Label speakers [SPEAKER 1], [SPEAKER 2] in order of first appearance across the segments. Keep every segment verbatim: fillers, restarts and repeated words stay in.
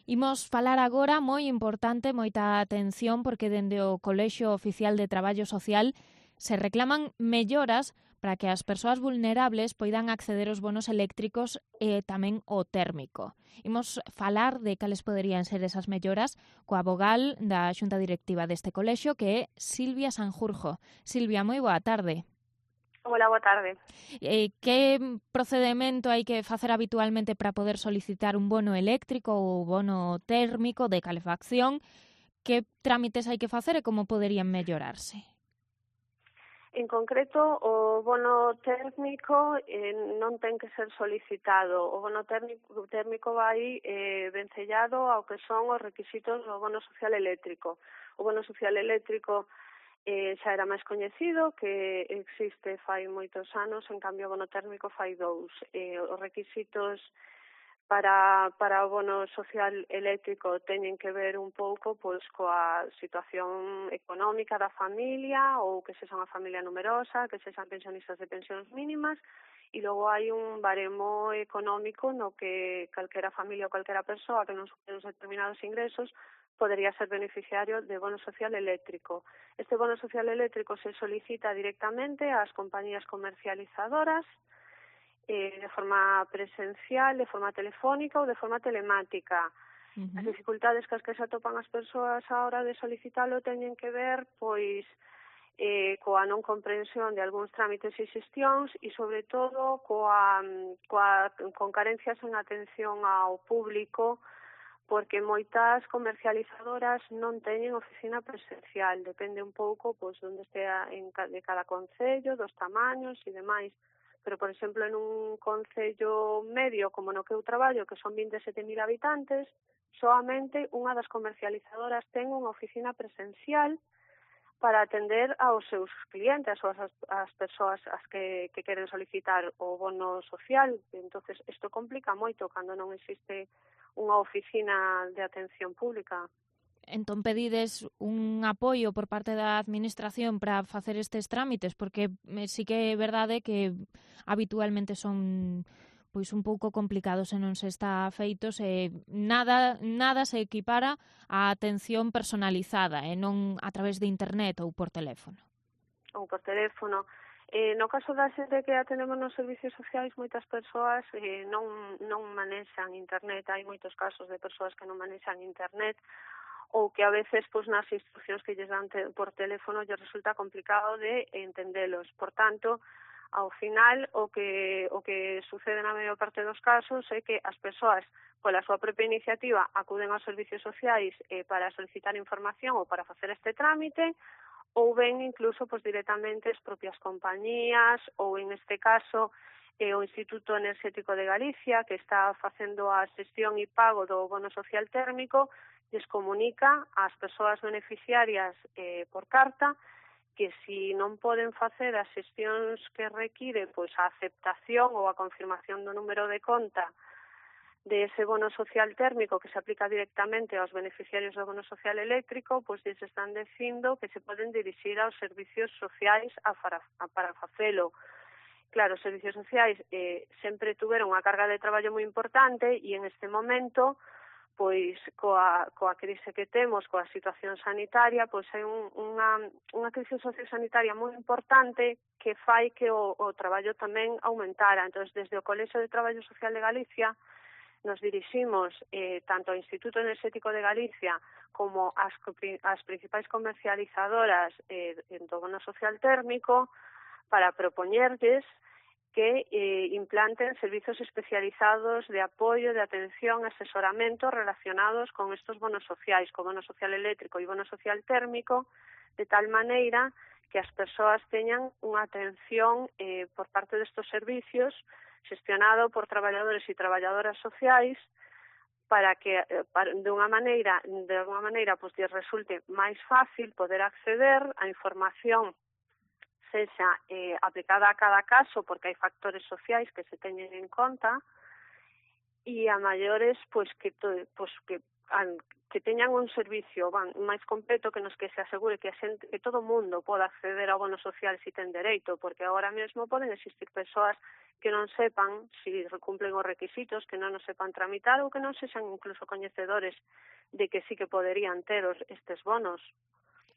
[SPEAKER 1] Imos falar agora, moi importante, moita atención, porque dende o Colexio Oficial de Traballo Social se reclaman melloras para que as persoas vulnerables poidan acceder aos bonos eléctricos e tamén o térmico. Imos falar de cales poderían ser esas melloras coa vogal da Xunta Directiva deste colexio, que é Silvia Sanjurjo. Silvia, moi boa tarde.
[SPEAKER 2] Hola, boa tarde.
[SPEAKER 1] Eh, que procedemento hai que facer habitualmente para poder solicitar un bono eléctrico ou bono térmico de calefacción? Que trámites hai que facer e como poderían mellorarse?
[SPEAKER 2] En concreto, o bono térmico eh, non ten que ser solicitado. O bono térmico, térmico vai eh, vencellado ao que son os requisitos do bono social eléctrico. O bono social eléctrico eh, xa era máis coñecido, que existe fai moitos anos, en cambio o bono térmico fai dous. Eh, os requisitos para para o bono social eléctrico teñen que ver un pouco pois coa situación económica da familia, ou que sexa unha familia numerosa, que sexan pensionistas de pensións mínimas, e logo hai un baremo económico no que calquera familia ou calquera persoa que non supere uns determinados ingresos podería ser beneficiario de bono social eléctrico. Este bono social eléctrico se solicita directamente ás compañías comercializadoras, Eh, de forma presencial, de forma telefónica ou de forma telemática.
[SPEAKER 1] Uh-huh.
[SPEAKER 2] As dificultades que as que se atopan as persoas á hora de solicitalo teñen que ver, pois, eh, coa non comprensión de algúns trámites e xestións e, sobre todo, coa, coa, con carencias en atención ao público, porque moitas comercializadoras non teñen oficina presencial, depende un pouco pois onde estea en de cada concello, dos tamaños e demais. Pero, por exemplo, en un concello medio como no que eu traballo, que son vinte e sete mil habitantes, soamente unha das comercializadoras ten unha oficina presencial para atender aos seus clientes, ou as, as persoas as que, que queren solicitar o bono social. Entonces, isto complica moito cando non existe unha oficina de atención pública.
[SPEAKER 1] Entón pedides un apoio por parte da administración para facer estes trámites, porque sí que é verdade que habitualmente son pois un pouco complicados se non se está feitos e nada nada se equipara á atención personalizada e non a través de internet ou por teléfono.
[SPEAKER 2] Ou por teléfono. Eh, no caso da xente que atendemos nos servicios sociais, moitas persoas eh, non, non manexan internet. Hai moitos casos de persoas que non manexan internet, ou que a veces pois nas instruccións que lles dan te, por teléfono lles resulta complicado de entendelos. Por tanto, ao final o que o que sucede na maior parte dos casos é que as persoas pola súa propia iniciativa acuden aos servicios sociais eh, para solicitar información ou para facer este trámite, ou ven incluso pois directamente as propias compañías, ou en este caso eh, o Instituto Enerxético de Galicia, que está facendo a xestión e pago do bono social térmico, lles comunica ás persoas beneficiarias eh, por carta que si non poden facer as xestións que require pois a aceptación ou a confirmación do número de conta de ese bono social térmico que se aplica directamente aos beneficiarios do bono social eléctrico, pois lles están dicindo que se poden dirixir aos servicios sociais a para, a para facelo. Claro, os servicios sociais eh, sempre tuveron unha carga de traballo moi importante e en este momento pois coa, coa crise que temos, coa situación sanitaria, pois hai un, unha, unha crise sociosanitaria moi importante que fai que o, o traballo tamén aumentara. Entón, desde o Colexio de Traballo Social de Galicia nos diriximos eh, tanto ao Instituto Enerxético de Galicia como as, as principais comercializadoras eh, do bono social térmico para propoñerlles que eh, implanten servizos especializados de apoio, de atención, asesoramento relacionados con estos bonos sociais, con bono social eléctrico e bono social térmico, de tal maneira que as persoas teñan unha atención eh, por parte destos servicios xestionado por traballadores e traballadoras sociais para que eh, para, de unha maneira, de alguma maneira, pues, lles resulte máis fácil poder acceder á información sexa eh, aplicada a cada caso, porque hai factores sociais que se teñen en conta, e a maiores pois que to, pois que an, que teñan un servicio van, máis completo que nos que se asegure que a xente, que todo o mundo poda acceder ao bono social se ten dereito, porque agora mesmo poden existir persoas que non sepan se si cumplen os requisitos, que non os sepan tramitar ou que non sexan incluso coñecedores de que sí que poderían ter os, estes bonos.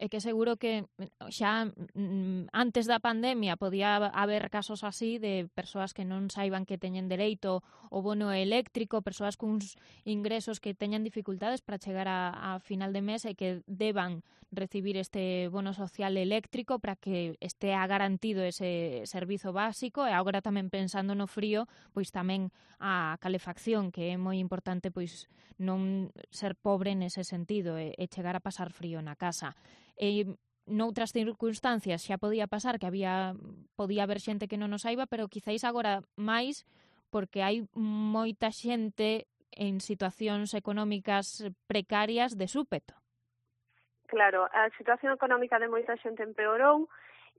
[SPEAKER 1] É que seguro que xa mm, antes da pandemia podía haber casos así de persoas que non saiban que teñen dereito ao bono eléctrico, persoas cuns ingresos que teñan dificultades para chegar a, a final de mes e que deban recibir este bono social eléctrico para que estea garantido ese servizo básico, e agora tamén pensando no frío, pois tamén a calefacción, que é moi importante pois non ser pobre nese sentido e, e chegar a pasar frío na casa. E noutras circunstancias xa podía pasar que había podía haber xente que non o saiba, pero quizáis agora máis porque hai moita xente en situacións económicas precarias de súpeto.
[SPEAKER 2] Claro, a situación económica de moita xente empeorou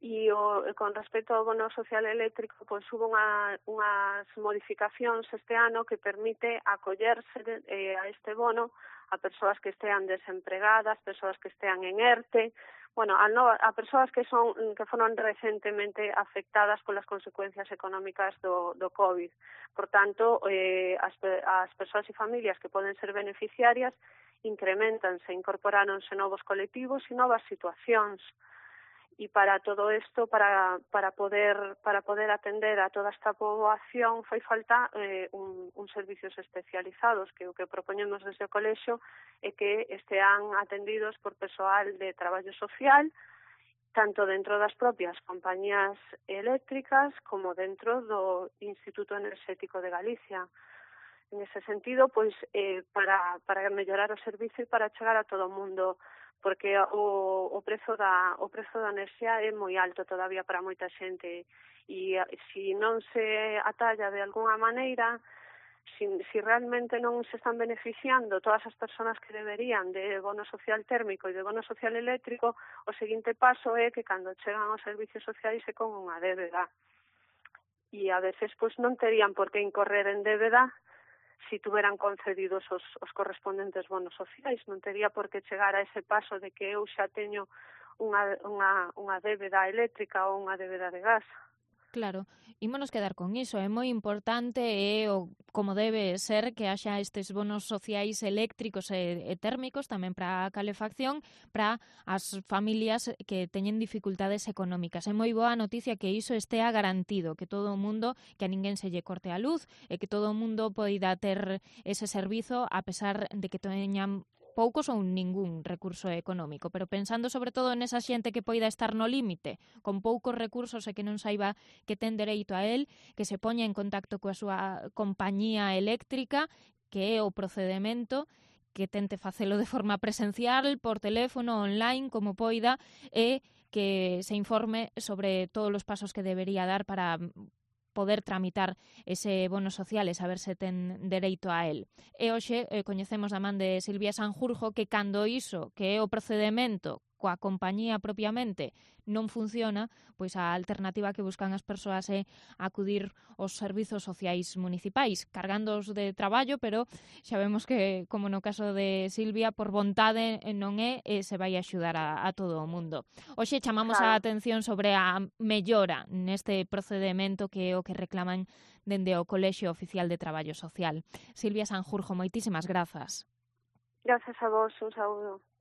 [SPEAKER 2] e o, con respecto ao bono social eléctrico, pois hubo unha, unhas modificacións este ano que permite acollerse de, eh, a este bono a persoas que estean desempregadas, persoas que estean en ERTE, bueno, a, no, a persoas que son que foron recentemente afectadas polas consecuencias económicas do, do COVID. Por tanto, eh, as, as persoas e familias que poden ser beneficiarias incrementanse, incorporáronse novos colectivos e novas situacións. E para todo isto, para, para poder para poder atender a toda esta poboación, fai falta eh, un, un servicios especializados, que o que propoñemos desde o colexio é que estean atendidos por persoal de traballo social, tanto dentro das propias compañías eléctricas como dentro do Instituto Enerxético de Galicia. En ese sentido, pois eh, para, para mellorar o servicio e para chegar a todo o mundo, porque o, o prezo da o prezo da enerxía é moi alto todavía para moita xente e se non se atalla de alguna maneira, se si, si realmente non se están beneficiando todas as persoas que deberían de bono social térmico e de bono social eléctrico, o seguinte paso é que cando chegan aos servicios sociais é con unha débeda. E a veces pois non terían por que incorrer en débeda si tuveran concedidos os, os correspondentes bonos sociais, non tería por que chegar a ese paso de que eu xa teño unha, unha, unha débeda eléctrica ou unha débeda de gas.
[SPEAKER 1] Claro, ímonos quedar con iso, é moi importante e o como debe ser que haxa estes bonos sociais eléctricos e, e térmicos tamén para a calefacción para as familias que teñen dificultades económicas. É moi boa noticia que iso estea garantido, que todo o mundo, que a ninguén se lle corte a luz e que todo o mundo poida ter ese servizo a pesar de que teñan poucos ou ningún recurso económico, pero pensando sobre todo nesa xente que poida estar no límite, con poucos recursos e que non saiba que ten dereito a él, que se poña en contacto coa súa compañía eléctrica, que é o procedemento, que tente facelo de forma presencial, por teléfono, online, como poida, e que se informe sobre todos os pasos que debería dar para poder tramitar ese bono social e saber se ten dereito a él. E hoxe eh, coñecemos da man de Silvia Sanjurjo que cando iso, que é o procedemento coa compañía propiamente, non funciona, pois a alternativa que buscan as persoas é acudir aos servizos sociais municipais, cargándoos de traballo, pero xa vemos que, como no caso de Silvia, por vontade non é e se vai axudar a, a todo o mundo. Hoxe chamamos
[SPEAKER 2] Claro.
[SPEAKER 1] a atención sobre a mellora neste procedemento que é o que reclaman dende o Colexio Oficial de Traballo Social. Silvia Sanjurjo, moitísimas grazas.
[SPEAKER 2] Gracias a vos, un saúdo.